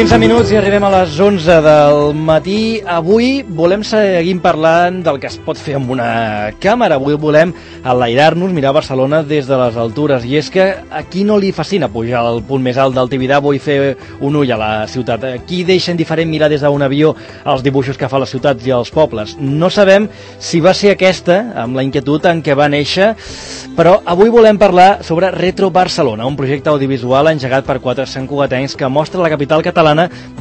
15 minuts i arribem a les 11 del matí. Avui volem seguir parlant del que es pot fer amb una càmera. Avui volem enlairar-nos, mirar Barcelona des de les altures. I és que a qui no li fascina pujar al punt més alt del Tibidabo i fer un ull a la ciutat? A qui deixa indiferent mirar des d'un avió els dibuixos que fa les ciutats i els pobles? No sabem si va ser aquesta, amb la inquietud en què va néixer, però avui volem parlar sobre Retro Barcelona, un projecte audiovisual engegat per 4 santcugatencs que mostra la capital catalana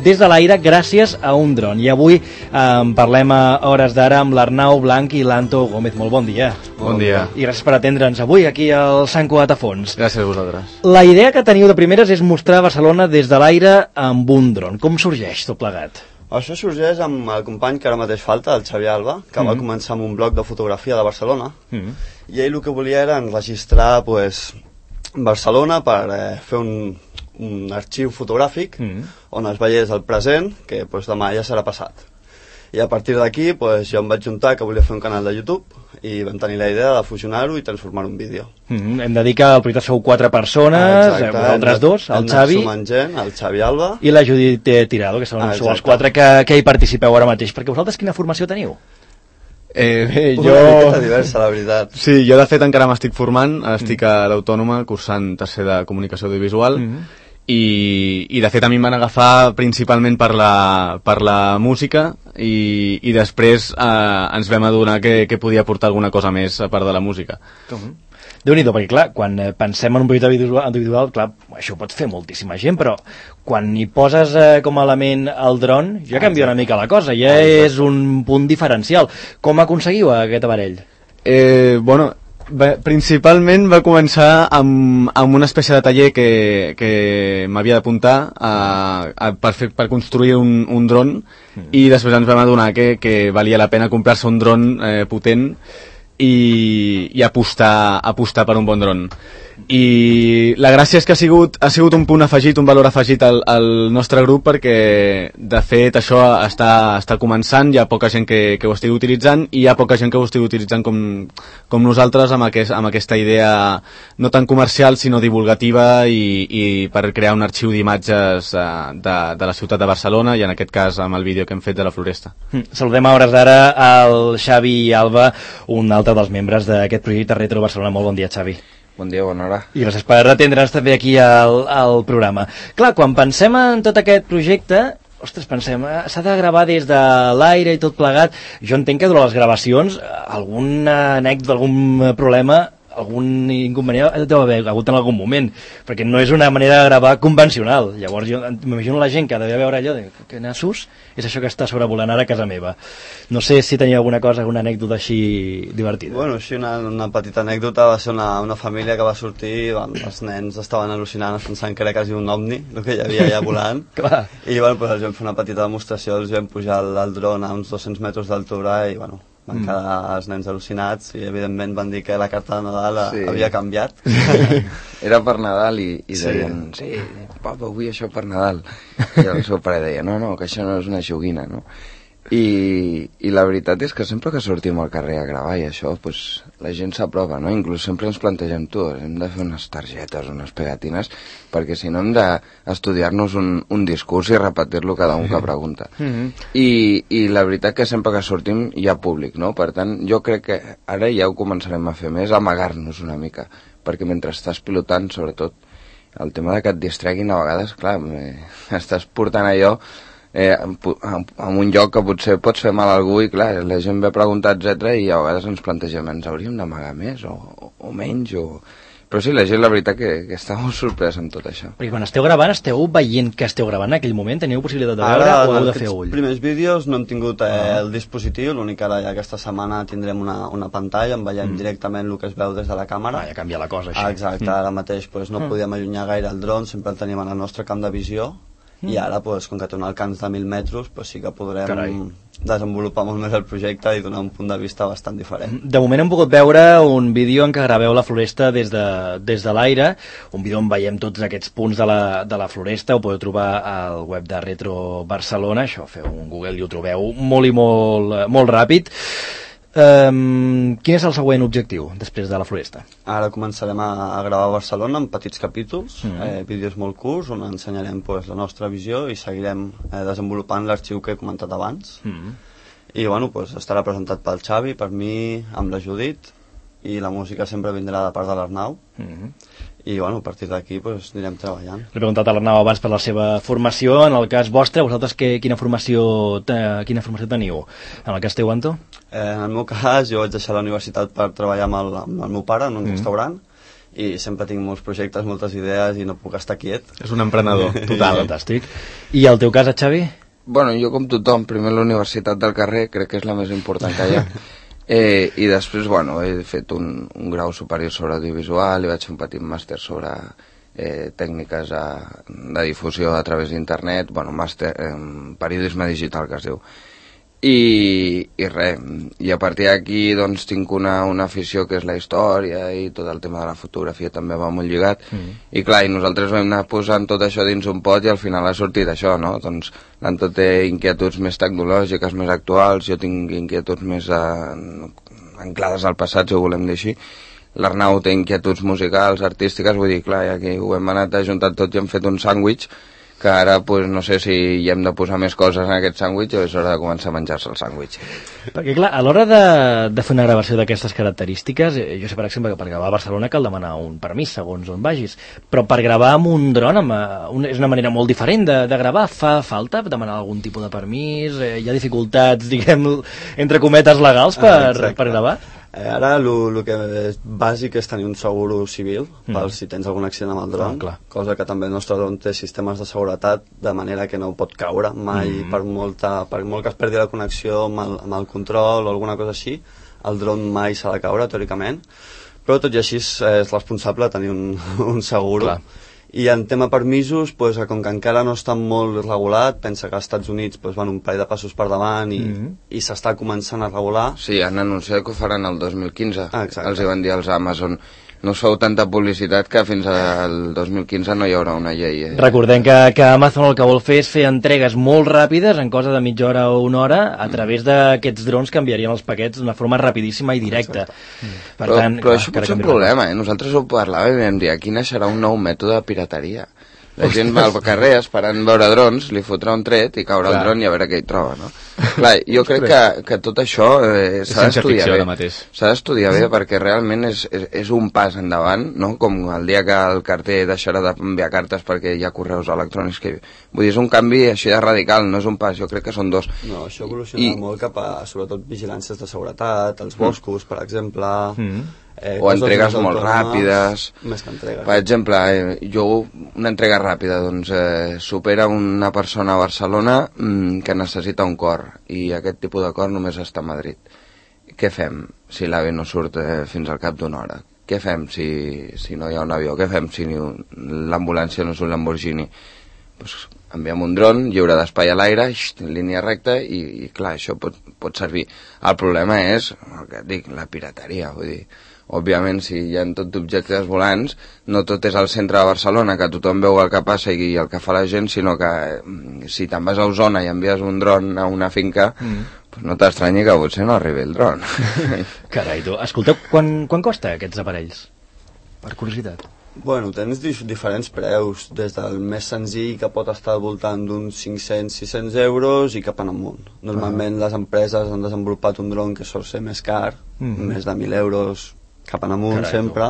des de l'aire gràcies a un dron. I avui parlem a hores d'ara amb l'Arnau Blanc i l'Anto Gómez. Molt bon dia. Bon dia. I gràcies per atendre'ns avui aquí al Sant Cugat a Fons. Gràcies a vosaltres. La idea que teniu de primeres és mostrar Barcelona des de l'aire amb un dron. Com sorgeix tot plegat? Això sorgeix amb el company que ara mateix falta, el Xavi Alba, que va començar amb un blog de fotografia de Barcelona, i ell el que volia era enregistrar Barcelona per fer un arxiu fotogràfic on es veiés el present, que demà ja serà passat. I a partir d'aquí jo em vaig juntar que volia fer un canal de YouTube i vam tenir la idea de fusionar-ho i transformar-ho en vídeo. Hem de dir que al projecte sou 4 persones, vosaltres dos, el Xavi, el Xavi Alba i la Judit Tirado, que sou els 4 que hi participeu ara mateix. Perquè vosaltres quina formació teniu? Una miqueta diversa, la veritat. Sí, jo de fet encara m'estic formant, estic a l'Autònoma cursant tercer de Comunicació Audiovisual, i de fet a mi em van agafar principalment per la música i després ens vam adonar que podia aportar alguna cosa més a part de la música. Déu-n'hi-do, perquè clar, quan pensem en un projecte audiovisual, clar, això ho pot fer moltíssima gent, però quan hi poses com a element el dron, ja canvia una mica la cosa, ja és un punt diferencial. Com aconseguiu aquest aparell? Principalment va començar amb una espècie de taller que m'havia d'apuntar per construir un dron, i després ens vam adonar que valia la pena comprar-se un dron potent i apostar per un bon dron. I la gràcia és que ha sigut un punt afegit, un valor afegit al nostre grup, perquè de fet això està començant, hi ha poca gent que ho estigui utilitzant, i hi ha poca gent que ho estigui utilitzant com nosaltres, amb aquesta idea no tan comercial sinó divulgativa i per crear un arxiu d'imatges de la ciutat de Barcelona, i en aquest cas amb el vídeo que hem fet de la Floresta. Saludem a hores d'ara al Xavi Alba, un altre dels membres d'aquest projecte Retro Barcelona. Molt bon dia, Xavi. Bon dia, bona hora. I gràcies per atendre'ns també aquí al programa. Clar, quan pensem en tot aquest projecte, ostres, pensem, s'ha de gravar des de l'aire i tot plegat. Jo entenc que durant les gravacions alguna anècdota, algun problema, algun inconvenient deu haver hagut en algun moment, perquè no és una manera de gravar convencional. Llavors jo m'imagino la gent que devia veure allò de que nassos és això que està sobrevolant ara a casa meva. No sé si tenia alguna cosa, alguna anècdota així divertida. Bueno, així una petita anècdota va ser una família que va sortir, els nens estaven al·lucinant pensant que era quasi un ovni el que hi havia allà volant. I els vam fer una petita demostració, els vam pujar al dron a uns 200 metres d'altura i van quedar els nens al·lucinats i evidentment van dir que la carta de Nadal havia canviat. Era per Nadal i deien, sí, papa, vull això per Nadal. I el seu pare deia, no, que això no és una joguina, no? I la veritat és que sempre que sortim al carrer a gravar i això, la gent s'aprova, no? Inclús sempre ens plantegem, hem de fer unes targetes, unes pegatines, perquè si no hem d'estudiar-nos un discurs i repetir-lo cada un que pregunta. I la veritat que sempre que sortim hi ha públic, no? Per tant, jo crec que ara ja ho començarem a fer més, amagar-nos una mica, perquè mentre estàs pilotant, sobretot, el tema de que et distreguin a vegades, clar, estàs portant allò en un lloc que potser pots fer mal a algú i clar, la gent ve a preguntar, etc. I a vegades ens plantegem, ens hauríem d'amagar més o menys però sí, la gent la veritat que està molt sorpresa amb tot això. Perquè quan esteu gravant, esteu veient que esteu gravant en aquell moment? Teniu possibilitat de veure o heu de fer ull? Els primers vídeos no hem tingut el dispositiu, l'únic que ara ja aquesta setmana tindrem una pantalla on veiem directament el que es veu des de la càmera. Ja canvia la cosa, així. Exacte, ara mateix no podíem allunyar gaire el dron, sempre el tenim en el nostre camp de visió. I ara, com que té un alcance de 1.000 metres, sí que podrem desenvolupar molt més el projecte i donar un punt de vista bastant diferent. De moment hem pogut veure un vídeo en què graveu la Floresta des de l'aire, un vídeo on veiem tots aquests punts de la Floresta, ho podeu trobar al web de Retro Barcelona, això, feu un Google i ho trobeu molt i molt ràpid. Quin és el següent objectiu després de la Floresta? Ara començarem a gravar a Barcelona en petits capítols, vídeos molt curts, on ensenyarem pues, la nostra visió i seguirem desenvolupant l'arxiu que he comentat abans. I bueno, pues, estarà presentat pel Xavi, per mi, amb la Judit, i la música sempre vindrà de part de l'Arnau. I bueno, a partir d'aquí pues, anirem treballant. L'he preguntat a l'Arnau abans per la seva formació. En el cas vostre, vosaltres quina formació teniu? En el cas teu, Anto? En el meu cas, jo vaig deixar la universitat per treballar amb el meu pare en un restaurant i sempre tinc molts projectes, moltes idees i no puc estar quiet. És un emprenedor, total. Fantàstic. I el teu cas, Xavi? Bueno, jo com tothom, primer la universitat del carrer, crec que és la més important que hi ha. I després, bueno, he fet un grau superior sobre audiovisual i vaig fer un petit màster sobre tècniques de difusió a través d'internet, bueno, màster en periodisme digital que es diu. I res, i a partir d'aquí doncs tinc una afició que és la història i tot el tema de la fotografia també va molt lligat i clar, i nosaltres vam anar posant tot això dins un pot i al final ha sortit això, no? Doncs l'Anto té inquietuds més tecnològiques, més actuals, jo tinc inquietuds més anclades al passat, si ho volem dir així. L'Arnau té inquietuds musicals, artístiques, vull dir, clar, i aquí ho hem anat ajuntat tot i hem fet un sàndwich que ara pues, no sé si hi hem de posar més coses en aquest sàndwich o és hora de començar a menjar-se el sàndwich. Perquè clar, a l'hora de fer una gravació d'aquestes característiques, jo sé per exemple que per gravar a Barcelona cal demanar un permís segons on vagis, però per gravar amb un dron és una manera molt diferent de gravar. Fa falta demanar algun tipus de permís? Hi ha dificultats, diguem, entre cometes legals per gravar? Ara el que és bàsic és tenir un seguro civil per si tens algun accident amb el dron, cosa que també el nostre dron té sistemes de seguretat de manera que no pot caure mai per molt que es perdi la connexió amb el control o alguna cosa així, el dron mai s'ha de caure teòricament, però tot i així és responsable tenir un seguro. Clar. I en tema permisos, pues, com que encara no està molt regulat, pensa que als Estats Units pues, van un parell de passos per davant i s'està començant a regular. Sí, han anunciat que ho faran el 2015. Els hi van dir als Amazon. No us feu tanta publicitat que fins al 2015 no hi haurà una llei. Recordem que Amazon el que vol fer és fer entregues molt ràpides, en cosa de mitja hora o una hora, a través d'aquests drons que enviarien els paquets d'una forma rapidíssima i directa. Però això pot ser un problema, Nosaltres ho parlàvem i vam dir, aquí naixerà un nou mètode de pirateria. La gent va al carrer esperant veure drons, li fotrà un tret i caurà el dron i a veure què hi troba, no? Clar, jo crec que tot això s'ha d'estudiar bé. S'ha d'estudiar bé perquè realment és un pas endavant, no? Com el dia que el carter deixarà d'enviar cartes perquè hi ha correus electrònics que... Vull dir, és un canvi així de radical, no és un pas, jo crec que són dos. No, això evoluciona molt cap a, sobretot, vigilàncies de seguretat, els boscos, per exemple... o entregues molt ràpides. Més que entregues. Per exemple, una entrega ràpida, doncs supera una persona a Barcelona que necessita un cor i aquest tipus de cor només està a Madrid. Què fem si l'AVE no surt fins al cap d'una hora? Què fem si no hi ha un avió? Què fem si l'ambulància no és un Lamborghini? Pues enviem un dron lliure d'espai a l'aire, en línia recta i clar, això pot servir. El problema és, el que et dic, la pirateria, vull dir, òbviament si hi ha tot objectes volants no tot és al centre de Barcelona que tothom veu el que passa i el que fa la gent, sinó que si te'n vas a Osona i envies un dron a una finca pues no t'estranyi que potser no arribi el dron. Carai, tu, escolteu, quan costa aquests aparells? Per curiositat. Bueno, tens diferents preus, des del més senzill que pot estar al voltant d'uns 500-600 euros i cap en amunt. Normalment les empreses han desenvolupat un dron que sol ser més car, més de 1.000 euros cap en amunt. Carai, sempre,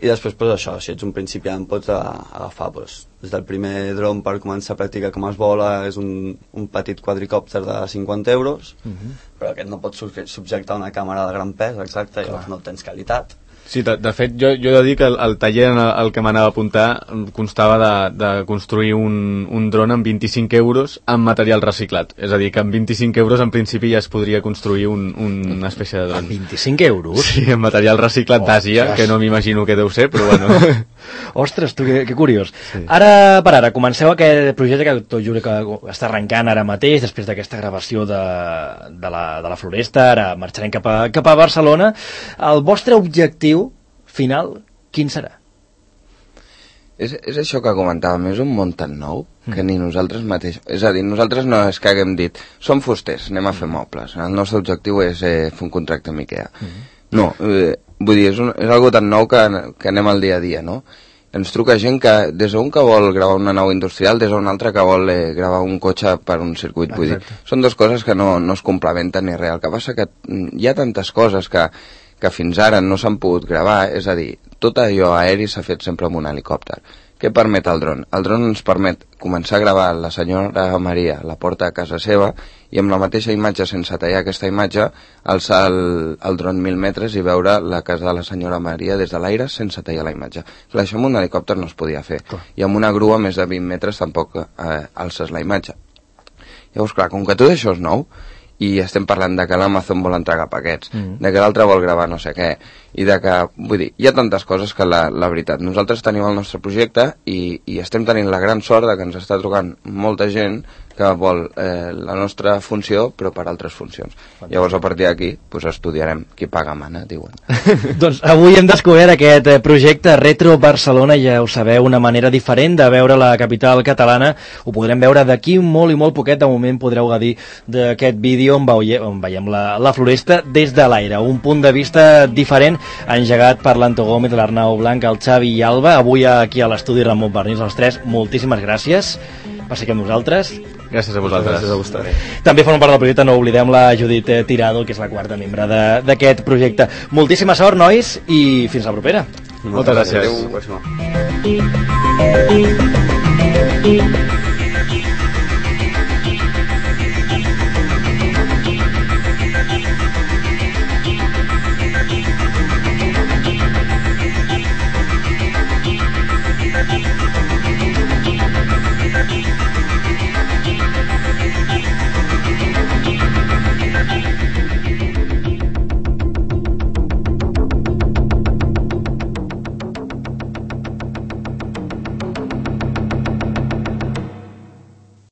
i després pues, això, si ets un principiant pots agafar pues, des del primer dron per començar a practicar com es vola, és un petit quadricòpter de 50 euros, però aquest no pot subjectar una càmera de gran pes, exacte, i llavors no tens qualitat. Sí, de fet, jo he de dir que el taller al que m'anava a apuntar constava de construir un dron amb 25 euros amb material reciclat. És a dir, que amb 25 euros en principi ja es podria construir una espècie de dron. Amb 25 euros? Sí, amb material reciclat d'Àsia, que no m'imagino què deu ser, però bueno. Ostres, tu, que curiós. Sí. Ara per ara, comenceu aquest projecte que tot juro que està arrencant ara mateix, després d'aquesta gravació de la Floresta, ara marxarem cap a Barcelona. El vostre objectiu final, quin serà? És això que comentàvem, és un món tan nou que ni nosaltres mateixos... És a dir, nosaltres no és que haguem dit som fusters, anem a fer mobles, el nostre objectiu és fer un contracte amb IKEA. No, vull dir, és algo tan nou que anem al dia a dia, no? Ens truca gent que, des d'un que vol gravar una nau industrial, des d'un altre que vol gravar un cotxe per un circuit, vull dir, són dues coses que no es complementen ni res. El que passa que hi ha tantes coses que fins ara no s'han pogut gravar, és a dir, tot allò aeri s'ha fet sempre amb un helicòpter. Què permet el dron? El dron ens permet començar a gravar la senyora Maria a la porta de casa seva i amb la mateixa imatge, sense tallar aquesta imatge, alçar el dron 1.000 metres i veure la casa de la senyora Maria des de l'aire sense tallar la imatge. Clar, això amb un helicòpter no es podia fer. I amb una grua més de 20 metres tampoc alces la imatge. Llavors, clar, com que tot això és nou, i estem parlant de que l'Amazon vol entregar paquets, de que l'altre vol gravar no sé què, i de que, vull dir, hi ha tantes coses que la veritat, nosaltres tenim el nostre projecte i estem tenint la gran sort de que ens està trucant molta gent que vol la nostra funció però per altres funcions. Llavors a partir d'aquí pues, estudiarem qui paga mana, diuen. Doncs avui hem descobert aquest projecte Retro Barcelona, ja ho sabeu, una manera diferent de veure la capital catalana. Ho podrem veure d'aquí molt i molt poquet. De moment podreu gaudir d'aquest vídeo on veiem la floresta des de l'aire, un punt de vista diferent engegat per l'Anto Gómez, l'Arnau Blanc, el Xavi i Alba. Avui aquí a l'estudi Ramon Barnils, els tres, moltíssimes gràcies per ser amb nosaltres. Gràcies a vosaltres. Gràcies a vostès. També formen part del projecte, no oblidem, la Judit Tirado, que és la quarta membre d'aquest projecte. Moltíssima sort, nois, i fins la propera. Moltes gràcies. Adéu.